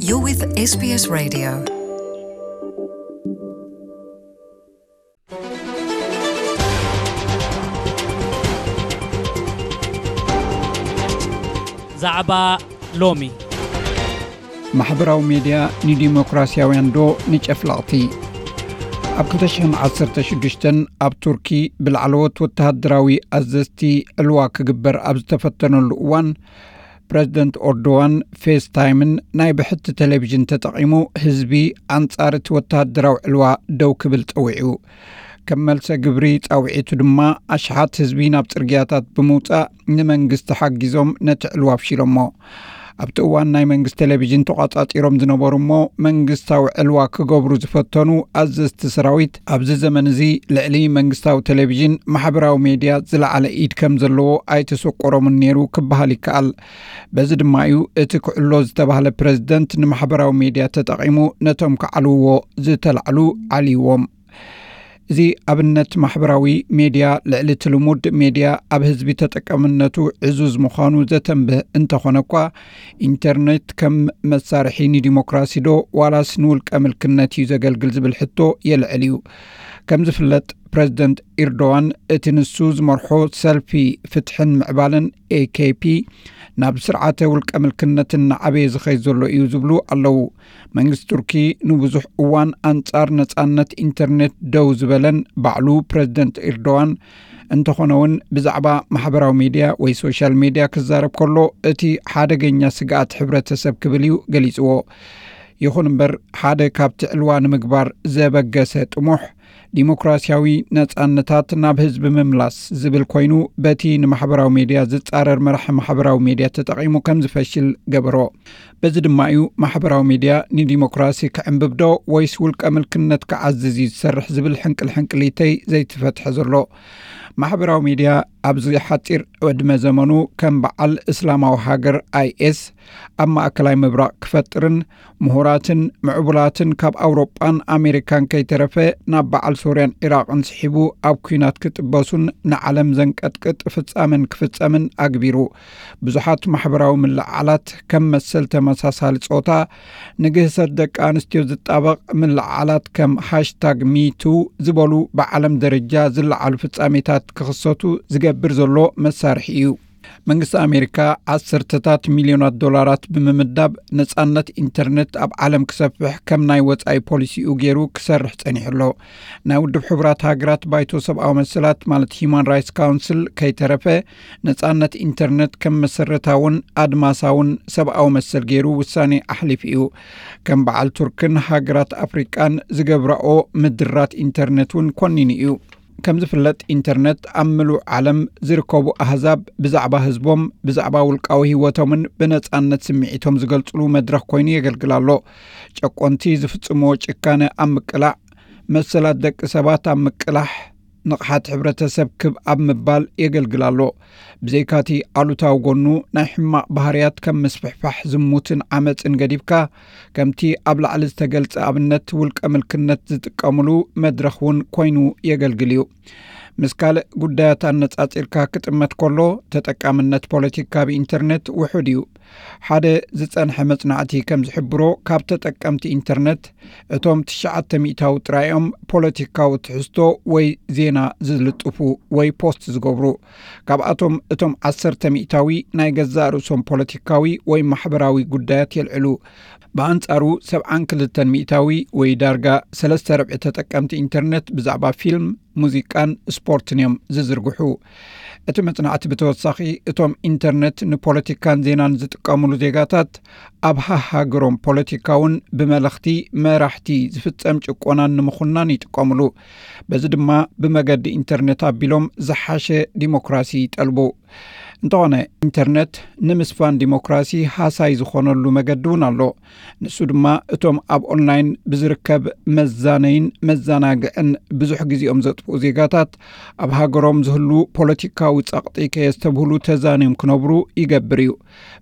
You're with S B S Radio. ዛዕባ ሎሚ። ማሕበራዊ ሜድያ ንዲሞክራሲያውያን ዶ ንጨፍለቕቲ? ኣብ ክልተ ሽሕን ዓሰርተ ሽዱሽተን ኣብ ቱርኪ ብላዕለዎት ወተሃደራዊ ኣዘዝቲ ዕልዋ ክግበር ኣብ ዝተፈተነሉ እዋን፣ ፕረዚደንት ኦርዶዋን ፌስታይምን ናይ ብሕቲ ቴሌቪዥን ተጠቒሙ ህዝቢ ኣንጻር እቲ ወተሃደራዊ ዕልዋ ደው ክብል ጸዊዑ። ከም መልሰ ግብሪ ጻውዒቱ ድማ ኣሽሓት ህዝቢ ናብ ጽርግያታት ብምውጻእ ንመንግስቲ ሓጊዞም ነቲ ዕልዋ ኣፍሺሎሞ። ኣብቲ እዋን ናይ መንግስቲ ቴሌቪዥን ተቋጻጺሮም ዝነበሩ እሞ መንግስታዊ ዕልዋ ክገብሩ ዝፈተኑ ኣዘዝቲ ሰራዊት ኣብዚ ዘመን እዚ ልዕሊ መንግስታዊ ቴሌቪዥን ማሕበራዊ ሜድያ ዝለዓለ ኢድ ከም ዘለዎ ኣይተሰቆሮምን ነይሩ ክበሃል ይከኣል። በዚ ድማ እዩ እቲ ክዕሎ ዝተባህለ ፕረዚደንት ንማሕበራዊ ሜድያ ተጠቒሙ ነቶም ክዓልውዎ ዝተላዕሉ ዓልይዎም። እዚ ኣብነት ማሕበራዊ ሜድያ ልዕሊ እቲ ልሙድ ሜድያ ኣብ ህዝቢ ተጠቃምነቱ ዕዙዝ ምዃኑ ዘተንብህ እንተኾነ እኳ፣ ኢንተርኔት ከም መሳርሒ ንዲሞክራሲ ዶ ዋላስ ንውልቀ ምልክነት እዩ ዘገልግል ዝብል ሕቶ የልዕል እዩ። ከም ዝፍለጥ፣ ፕረዚደንት ኢርዶዋን እቲ ንሱ ዝመርሖ ሰልፊ ፍትሕን ምዕባለን፣ ኤ ኬ ፒ፣ ናብ ስርዓተ ውልቀ ምልክነት እናዓበየ ዝኸይድ ዘሎ እዩ ዝብሉ ኣለዉ። መንግስቲ ቱርኪ ንብዙሕ እዋን ኣንጻር ነጻነት ኢንተርኔት ደው ዝበለን ባዕሉ ፕረዚደንት ኢርዶዋን እንተኾነ እውን ብዛዕባ ማሕበራዊ ሜድያ ወይ ሶሻል ሜድያ ክዛረብ ከሎ እቲ ሓደገኛ ስግኣት ሕብረተሰብ ክብል እዩ ገሊጽዎ። ይኹን እምበር ሓደ ካብቲ ዕልዋ ንምግባር ዘበገሰ ጥሙሕ ዲሞክራሲያዊ ነጻነታት ናብ ህዝቢ ምምላስ ዝብል ኮይኑ በቲ ንማሕበራዊ ሜድያ ዝጻረር መራሒ ማሕበራዊ ሜድያ ተጠቒሙ ከም ዝፈሽል ገበሮ። በዚ ድማ እዩ ማሕበራዊ ሜድያ ንዲሞክራሲ ክዕንብብ ዶ ወይስ ውልቀ ምልክነት ክዓዝዝ እዩ ዝሰርሕ ዝብል ሕንቅል ሕንቅሊተይ ዘይተፈትሐ ዘሎ። ማሕበራዊ ሜድያ ኣብዚ ሓጺር ዕድመ ዘመኑ ከም በዓል እስላማዊ ሃገር ኣይ ኤስ ኣብ ማእከላይ ምብራቕ ክፈጥርን ምሁራትን ምዕቡላትን ካብ ኣውሮጳን ኣሜሪካን ከይተረፈ ናብ በዓል ሶርያን ዒራቕን ስሒቡ ኣብ ኲናት ክጥበሱን ንዓለም ዘንቀጥቅጥ ፍጻመን ክፍጸምን ኣግቢሩ። ብዙሓት ማሕበራዊ ምልዕዓላት ከም መሰል ተመሳሳሊ ጾታ፣ ንግህሰት ደቂ ኣንስትዮ ዝጣበቕ ምልዕዓላት ከም ሃሽታግ ሚቱ ዝበሉ ብዓለም ደረጃ ዝለዓሉ ፍጻሜታት ክኽሰቱ ዝገብር ዘሎ መሳርሒ እዩ። መንግስቲ ኣሜሪካ ዓሰርተታት ሚልዮናት ዶላራት ብምምዳብ ነጻነት ኢንተርኔት ኣብ ዓለም ክሰፍሕ ከም ናይ ወጻኢ ፖሊሲኡ ገይሩ ክሰርሕ ጸኒሑ ኣሎ። ናይ ውድብ ሕቡራት ሃገራት ባይቶ ሰብኣዊ መሰላት ማለት ሂዩማን ራይትስ ካውንስል ከይተረፈ ነጻነት ኢንተርኔት ከም መሰረታውን ኣድማሳውን ሰብኣዊ መሰል ገይሩ ውሳኔ ኣሕሊፉ እዩ። ከም በዓል ቱርክን ሃገራት ኣፍሪቃን ዝገብራኦ ምድራት ኢንተርኔት እውን ኮኒኑ እዩ። ከም ዝፍለጥ ኢንተርኔት ኣብ ምሉእ ዓለም ዝርከቡ ኣህዛብ ብዛዕባ ህዝቦም፣ ብዛዕባ ውልቃዊ ህይወቶምን ብነጻነት ስምዒቶም ዝገልጽሉ መድረኽ ኮይኑ የገልግል ኣሎ። ጨቆንቲ ዝፍጽምዎ ጭካነ ኣብ ምቅላዕ፣ መሰላት ደቂ ሰባት ኣብ ምቅላሕ፣ ንቕሓት ሕብረተሰብ ክብ ኣብ ምባል የገልግል ኣሎ። ብዘይካቲ ኣሉታዊ ጎኑ ናይ ሕማቕ ባህርያት ከም ምስፍሕፋሕ ዝሙትን ዓመጽን ገዲፍካ፣ ከምቲ ኣብ ላዕሊ ዝተገልጸ ኣብነት ውልቀ ምልክነት ዝጥቀምሉ መድረኽ እውን ኮይኑ የገልግል እዩ። ምስ ካልእ ጉዳያት ኣነጻጺርካ ክጥመት ከሎ፣ ተጠቃምነት ፖለቲካ ብኢንተርኔት ውሑድ እዩ። ሓደ ዝጸንሐ መጽናዕቲ ከም ዝሕብሮ፣ ካብ ተጠቀምቲ ኢንተርኔት እቶም ትሽዓተ ሚእታዊ ጥራይ እዮም ፖለቲካዊ ትሕዝቶ ወይ ዜና ዝልጥፉ ወይ ፖስት ዝገብሩ። ካብኣቶም እቶም ዓሰርተ ሚእታዊ ናይ ገዛእ ርእሶም ፖለቲካዊ ወይ ማሕበራዊ ጉዳያት የልዕሉ። ብኣንጻሩ ሰብዓን ክልተን ሚእታዊ ወይ ዳርጋ ሰለስተ ርብዒ ተጠቀምቲ ኢንተርኔት ብዛዕባ ፊልም፣ ሙዚቃን ስፖርትን እዮም ዝዝርግሑ። እቲ መጽናዕቲ ብተወሳኺ እቶም ኢንተርኔት ንፖለቲካን ዜናን ዝጥቀምሉ ዜጋታት ኣብ ሃሃገሮም ፖለቲካውን ብመለኽቲ መራሕቲ ዝፍጸም ጭቆናን ንምኹናን ይጥቀምሉ። በዚ ድማ ብመገዲ ኢንተርኔት ኣቢሎም ዝሓሸ ዲሞክራሲ ይጠልቡ። እንተኾነ ኢንተርኔት ንምስፋን ዲሞክራሲ ሃሳይ ዝኾነሉ መገዲ እውን ኣሎ። ንሱ ድማ እቶም ኣብ ኦንላይን ብዝርከብ መዛነይን መዘናግዕን ብዙሕ ግዜኦም ዘጥፍኡ ዜጋታት ኣብ ሃገሮም ዝህሉ ፖለቲካዊ ጸቕጢ ከየስተብህሉ ተዛንዮም ክነብሩ ይገብር እዩ።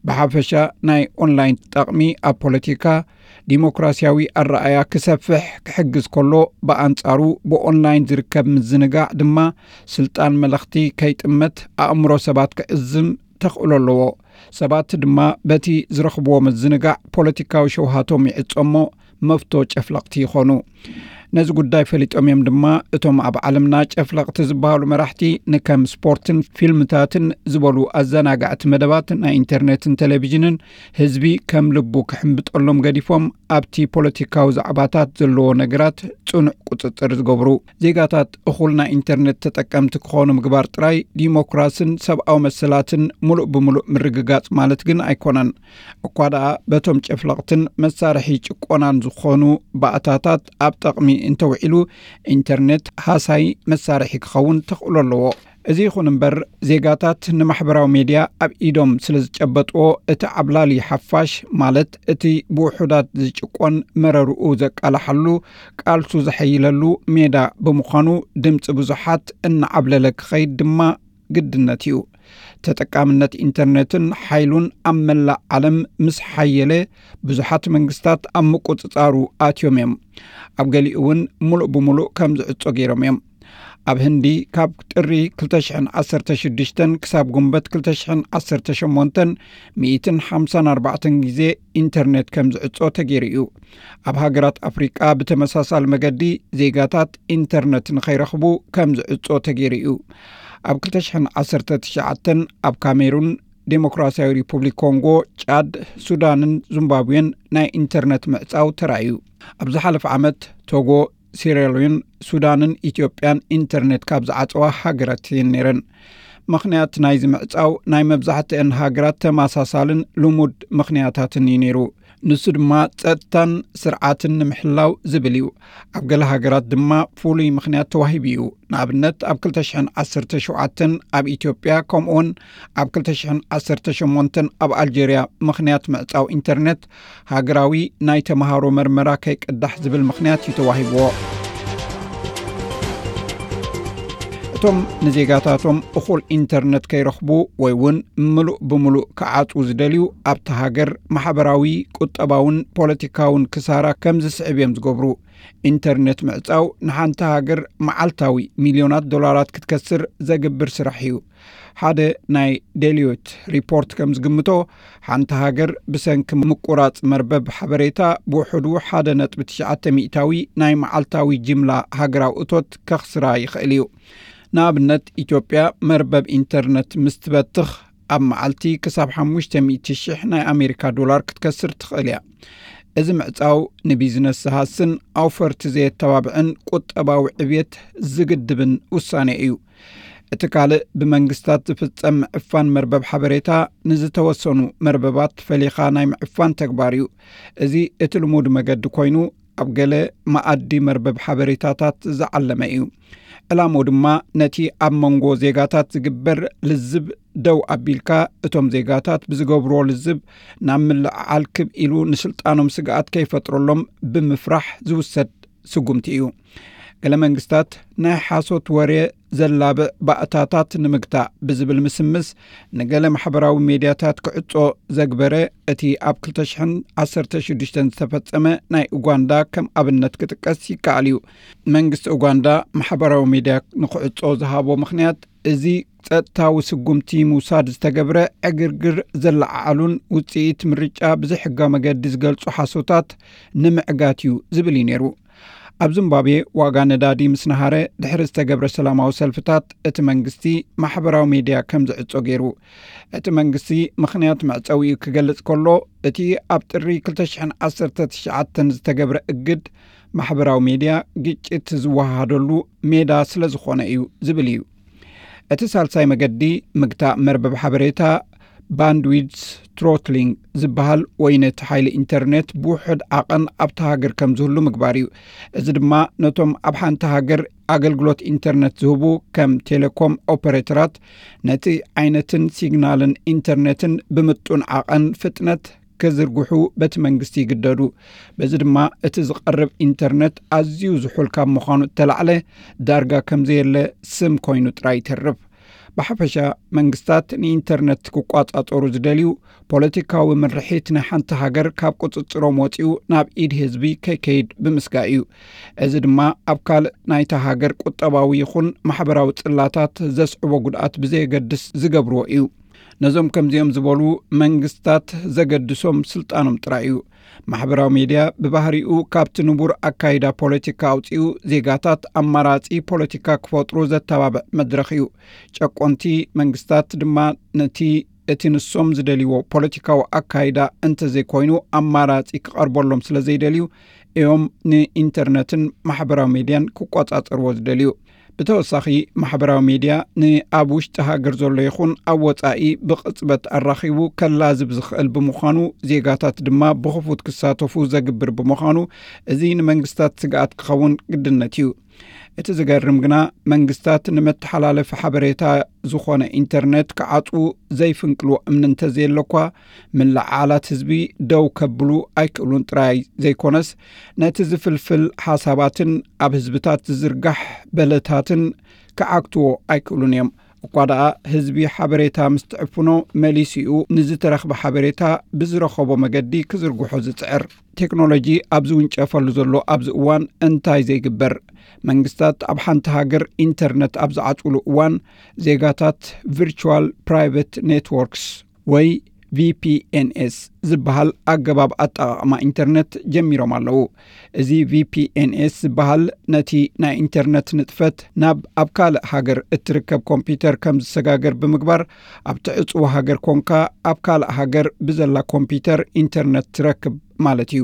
ብሓፈሻ ናይ ኦንላይን ጠቕሚ ኣብ ፖለቲካ ዲሞክራሲያዊ ኣረኣያ ክሰፍሕ ክሕግዝ ከሎ፣ ብኣንጻሩ ብኦንላይን ዝርከብ ምዝንጋዕ ድማ ስልጣን መለኽቲ ከይጥመት ኣእምሮ ሰባት ክዕዝም ተኽእሎ ኣለዎ። ሰባት ድማ በቲ ዝረኽብዎ ምዝንጋዕ ፖለቲካዊ ሸውሃቶም ይዕጾ እሞ መፍቶ ጨፍለቕቲ ይኾኑ። ነዚ ጉዳይ ፈሊጦም እዮም ድማ እቶም ኣብ ዓለምና ጨፍለቕቲ ዝበሃሉ መራሕቲ ንከም ስፖርትን ፊልምታትን ዝበሉ ኣዘናጋዕቲ መደባት ናይ ኢንተርኔትን ቴሌቪዥንን ህዝቢ ከም ልቡ ክሕምብጠሎም ገዲፎም ኣብቲ ፖለቲካዊ ዛዕባታት ዘለዎ ነገራት ጽኑዕ ቁጽጽር ዝገብሩ። ዜጋታት እኹል ናይ ኢንተርኔት ተጠቀምቲ ክኾኑ ምግባር ጥራይ ዲሞክራስን ሰብኣዊ መሰላትን ምሉእ ብምሉእ ምርግጋጽ ማለት ግን ኣይኮነን። እኳ ደኣ በቶም ጨፍለቕትን መሳርሒ ጭቆናን ዝኾኑ ባእታታት ኣብ ጠቕሚ እንተውዒሉ ኢንተርኔት ሃሳይ መሳርሒ ክኸውን ተኽእሎ ኣለዎ። እዚ ይኹን እምበር ዜጋታት ንማሕበራዊ ሜድያ ኣብ ኢዶም ስለ ዝጨበጥዎ እቲ ዓብላሊ ሓፋሽ ማለት እቲ ብውሑዳት ዝጭቆን መረርኡ ዘቃልሓሉ ቃልሱ ዘሐይለሉ ሜዳ ብምዃኑ ድምፂ ብዙሓት እናዓብለለ ክኸይድ ድማ ግድነት እዩ። ተጠቃምነት ኢንተርኔትን ሓይሉን ኣብ መላእ ዓለም ምስ ሓየለ ብዙሓት መንግስታት ኣብ ምቁፅፃሩ ኣትዮም እዮም። ኣብ ገሊኡ እውን ሙሉእ ብሙሉእ ከም ዝዕጾ ገይሮም እዮም። ኣብ ህንዲ ካብ ጥሪ ክልተ ሽሕን ዓሰርተ ሽዱሽተን ክሳብ ጉንበት ክልተ ሽሕን ዓሰርተ ሸሞንተን ሚእትን ሓምሳን ኣርባዕተን ግዜ ኢንተርኔት ከም ዝዕጾ ተገይሩ እዩ። ኣብ ሃገራት ኣፍሪቃ ብተመሳሳሊ መገዲ ዜጋታት ኢንተርነት ንኸይረኽቡ ከም ዝዕጾ ተገይሩ እዩ። ኣብ ክልተ ሽሕን ዓሰርተ ትሽዓተን ኣብ ካሜሩን፣ ዴሞክራሲያዊ ሪፑብሊክ ኮንጎ፣ ጫድ፣ ሱዳንን ዚምባብዌን ናይ ኢንተርነት ምዕጻው ተራእዩ። ኣብ ዝሓለፈ ዓመት ቶጎ፣ ሲራሊዮን፣ ሱዳንን ኢትዮጵያን ኢንተርኔት ካብ ዝዓጸዋ ሃገራት እየን ነይረን። ምኽንያት ናይዚ ምዕጻው ናይ መብዛሕትአን ሃገራት ተመሳሳልን ልሙድ ምኽንያታትን እዩ ነይሩ። ንሱ ድማ ጸጥታን ስርዓትን ንምሕላው ዝብል እዩ። ኣብ ገለ ሃገራት ድማ ፍሉይ ምኽንያት ተዋሂቡ እዩ። ንኣብነት ኣብ ክልተ ሽሕን ዓሰርተ ሸውዓተን ኣብ ኢትዮጵያ ከምኡውን ኣብ ክልተ ሽሕን ዓሰርተ ሸሞንተን ኣብ ኣልጀርያ ምኽንያት ምዕጻው ኢንተርኔት ሃገራዊ ናይ ተምሃሮ መርመራ ከይቅዳሕ ዝብል ምኽንያት እዩ ተዋሂብዎ። እቶም ንዜጋታቶም እኹል ኢንተርነት ከይረኽቡ ወይ እውን ምሉእ ብምሉእ ክዓጽዉ ዝደልዩ ኣብቲ ሃገር ማሕበራዊ፣ ቁጠባውን ፖለቲካውን ክሳራ ከም ዝስዕብ እዮም ዝገብሩ። ኢንተርነት ምዕጻው ንሓንቲ ሃገር መዓልታዊ ሚልዮናት ዶላራት ክትከስር ዘግብር ስራሕ እዩ። ሓደ ናይ ዴሎይት ሪፖርት ከም ዝግምቶ፣ ሓንቲ ሃገር ብሰንኪ ምቁራጽ መርበብ ሓበሬታ ብውሕዱ ሓደ ነጥቢ ትሽዓተ ሚእታዊ ናይ መዓልታዊ ጅምላ ሃገራዊ እቶት ከኽስራ ይኽእል እዩ። ንኣብነት፣ ኢትዮጵያ መርበብ ኢንተርነት ምስ ትበትኽ፣ ኣብ መዓልቲ ክሳብ ሓሙሽተ ሚእቲ ሽሕ ናይ ኣሜሪካ ዶላር ክትከስር ትኽእል እያ። እዚ ምዕጻው ንቢዝነስ ዝሃስን ኣውፈርቲ ዘየተባብዕን ቁጠባዊ ዕብየት ዝግድብን ውሳኔ እዩ። እቲ ካልእ ብመንግስታት ዝፍጸም ምዕፋን መርበብ ሓበሬታ ንዝተወሰኑ መርበባት ፈሊኻ ናይ ምዕፋን ተግባር እዩ። እዚ እቲ ልሙድ መገዲ ኮይኑ ኣብ ገለ መኣዲ መርበብ ሓበሬታታት ዝዓለመ እዩ። ዕላምኡ ድማ ነቲ ኣብ መንጎ ዜጋታት ዝግበር ልዝብ ደው ኣቢልካ እቶም ዜጋታት ብዝገብርዎ ልዝብ ናብ ምልዕዓል ክብ ኢሉ ንስልጣኖም ስግኣት ከይፈጥረሎም ብምፍራሕ ዝውሰድ ስጉምቲ እዩ። ገለ መንግስታት ናይ ሓሶት ወሬ ዘላብዕ ባእታታት ንምግታእ ብዝብል ምስምስ ንገለ ማሕበራዊ ሜድያታት ክዕጾ ዘግበረ እቲ ኣብ ክልተ ሽሕን ዓሰርተ ሽዱሽተን ዝተፈጸመ ናይ ኡጋንዳ ከም ኣብነት ክጥቀስ ይከኣል እዩ። መንግስቲ ኡጋንዳ ማሕበራዊ ሜድያ ንክዕጾ ዝሃቦ ምኽንያት እዚ ጸጥታዊ ስጉምቲ ምውሳድ ዝተገብረ ዕግርግር ዘለዓዓሉን ውጽኢት ምርጫ ብዘይሕጋዊ መገዲ ዝገልጹ ሓሶታት ንምዕጋት እዩ ዝብል እዩ ነይሩ። ኣብ ዚምባብዌ ዋጋ ነዳዲ ምስ ነሃረ ድሕሪ ዝተገብረ ሰላማዊ ሰልፍታት እቲ መንግስቲ ማሕበራዊ ሜድያ ከም ዝዕጾ ገይሩ። እቲ መንግስቲ ምኽንያት መዕጸዊኡ ክገልጽ ከሎ፣ እቲ ኣብ ጥሪ ክልተ ሽሕን ዓሰርተ ትሽዓተን ዝተገብረ እግድ ማሕበራዊ ሜድያ ግጭት ዝወሃሃደሉ ሜዳ ስለ ዝኾነ እዩ ዝብል እዩ። እቲ ሳልሳይ መገዲ ምግታእ መርበብ ሓበሬታ ባንድዊድስ ትሮትሊንግ ዝበሃል ወይ ነቲ ሓይሊ ኢንተርኔት ብውሑድ ዓቐን ኣብታ ሃገር ከም ዝህሉ ምግባር እዩ። እዚ ድማ ነቶም ኣብ ሓንቲ ሃገር ኣገልግሎት ኢንተርኔት ዝህቡ ከም ቴሌኮም ኦፐሬተራት ነቲ ዓይነትን ሲግናልን ኢንተርኔትን ብምጡን ዓቐን ፍጥነት ክዝርግሑ በቲ መንግስቲ ይግደዱ። በዚ ድማ እቲ ዝቐርብ ኢንተርኔት ኣዝዩ ዝሑል ካብ ምዃኑ እተላዕለ ዳርጋ ከም ዘየለ ስም ኮይኑ ጥራይ ይተርፍ። ብሓፈሻ መንግስታት ንኢንተርነት ክቋጻጸሩ ዝደልዩ ፖለቲካዊ ምርሒት ናይ ሓንቲ ሃገር ካብ ቁጽጽሮም ወጺኡ ናብ ኢድ ህዝቢ ከይከይድ ብምስጋእ እዩ። እዚ ድማ ኣብ ካልእ ናይታ ሃገር ቁጠባዊ ይኹን ማሕበራዊ ጽላታት ዘስዕቦ ጉድኣት ብዘየገድስ ዝገብርዎ እዩ። ነዞም ከምዚኦም ዝበሉ መንግስታት ዘገድሶም ስልጣኖም ጥራይ እዩ። ማሕበራዊ ሜድያ ብባህሪኡ ካብቲ ንቡር ኣካይዳ ፖለቲካ ኣውፂኡ፣ ዜጋታት ኣማራፂ ፖለቲካ ክፈጥሩ ዘተባብዕ መድረኽ እዩ። ጨቆንቲ መንግስታት ድማ ነቲ እቲ ንሶም ዝደልይዎ ፖለቲካዊ ኣካይዳ እንተዘይኮይኑ ኣማራፂ ክቐርበሎም ስለ ዘይደልዩ እዮም ንኢንተርነትን ማሕበራዊ ሜድያን ክቆጻጸርዎ ዝደልዩ። ብተወሳኺ፣ ማሕበራዊ ሜድያ ንኣብ ውሽጢ ሃገር ዘሎ ይኹን ኣብ ወጻኢ ብቕጽበት ኣራኺቡ ከላዝብ ዝኽእል ብምዃኑ፣ ዜጋታት ድማ ብኽፉት ክሳተፉ ዘግብር ብምዃኑ፣ እዚ ንመንግስታት ስግኣት ክኸውን ግድነት እዩ። እቲ ዝገርም ግና፣ መንግስታት ንመተሓላለፊ ሓበሬታ ዝኾነ ኢንተርነት ክዓጽዉ ዘይፍንቅልዎ እምኒ እንተዘየሎ እኳ፣ ምልዕዓላት ህዝቢ ደው ከብሉ ኣይክእሉን ጥራይ ዘይኮነስ፣ ነቲ ዝፍልፍል ሓሳባትን ኣብ ህዝብታት ዝዝርጋሕ በለታትን ክዓግትዎ ኣይክእሉን እዮም። እኳ ደኣ ህዝቢ ሓበሬታ ምስ ትዕፍኖ፣ መሊሱኡ ንዝተረኽበ ሓበሬታ ብዝረኸቦ መገዲ ክዝርግሖ ዝጽዕር። ቴክኖሎጂ ኣብ ዝውንጨፈሉ ዘሎ ኣብዚ እዋን እንታይ ዘይግበር? መንግስታት ኣብ ሓንቲ ሃገር ኢንተርነት ኣብ ዝዓጽውሉ እዋን፣ ዜጋታት ቪርቹዋል ፕራይቬት ኔትወርክስ ወይ ቪ ፒ ኤን ኤስ ዝበሃል ኣገባብ ኣጠቓቕማ ኢንተርነት ጀሚሮም ኣለዉ። እዚ ቪ ፒ ኤን ኤስ ዝበሃል ነቲ ናይ ኢንተርነት ንጥፈት ናብ ኣብ ካልእ ሃገር እትርከብ ኮምፒውተር ከም ዝሰጋገር ብምግባር፣ ኣብቲ ዕጽው ሃገር ኮንካ ኣብ ካልእ ሃገር ብዘላ ኮምፒውተር ኢንተርነት ትረክብ ማለት እዩ።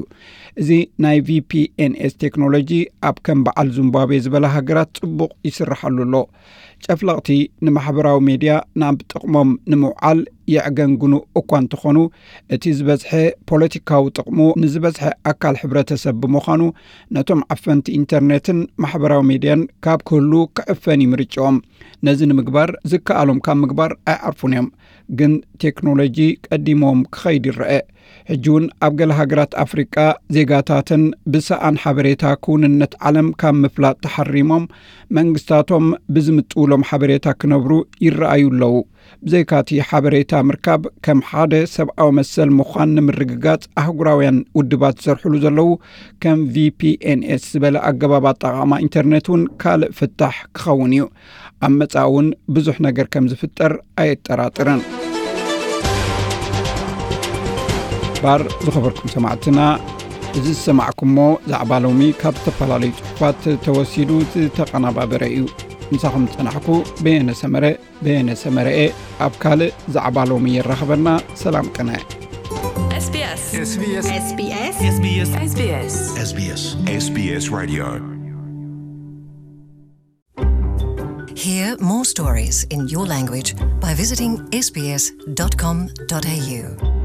እዚ ናይ ቪ ፒ ኤን ኤስ ቴክኖሎጂ ኣብ ከም በዓል ዚምባብዌ ዝበላ ሃገራት ጽቡቕ ይስርሓሉ ኣሎ። ጨፍለቕቲ ንማሕበራዊ ሜድያ ናብ ጥቕሞም ንምውዓል የዕገንግኑ እኳ እንተኾኑ፣ እቲ ዝበዝሐ ፖለቲካዊ ጥቕሙ ንዝበዝሐ ኣካል ሕብረተሰብ ብምዃኑ፣ ነቶም ዓፈንቲ ኢንተርኔትን ማሕበራዊ ሜድያን ካብ ክህሉ ክዕፈን እዩ ምርጫኦም። ነዚ ንምግባር ዝከኣሎም ካብ ምግባር ኣይዓርፉን እዮም። ግን ቴክኖሎጂ ቀዲሞም ክኸይድ ይረአ። ሕጂ እውን ኣብ ገለ ሃገራት ኣፍሪቃ ዜጋታተን ብሰኣን ሓበሬታ ክውንነት ዓለም ካብ ምፍላጥ ተሓሪሞም፣ መንግስታቶም ብዝምጥውሎም ሓበሬታ ክነብሩ ይረኣዩ ኣለዉ። ብዘይካቲ ሓበሬታ ምርካብ ከም ሓደ ሰብኣዊ መሰል ምዃን ንምርግጋጽ ኣህጉራውያን ውድባት ዝሰርሕሉ ዘለዉ ከም ቪ ፒ ኤን ኤስ ዝበለ ኣገባብ ኣጠቓቕማ ኢንተርኔት እውን ካልእ ፍታሕ ክኸውን እዩ። ኣብ መጻኢ እውን ብዙሕ ነገር ከም ዝፍጠር ኣየጠራጥርን። ባር ዝኸበርኩም ሰማዕትና፣ እዚ ዝሰማዕኩሞ ዛዕባ ሎሚ ካብ ዝተፈላለዩ ጽሑፋት ተወሲዱ ዝተቐናባበረ እዩ። ምሳኹም ዝጸናሕኩ በየነ ሰመረ፣ በየነ ሰመረኤ። ኣብ ካልእ ዛዕባ ሎሚ የራኽበና። ሰላም ቅነ። S B S. S B S. S B S. S B S. S B S. S B S. S B S Radio. Hear more stories in your language by visiting S B S dot com dot A U.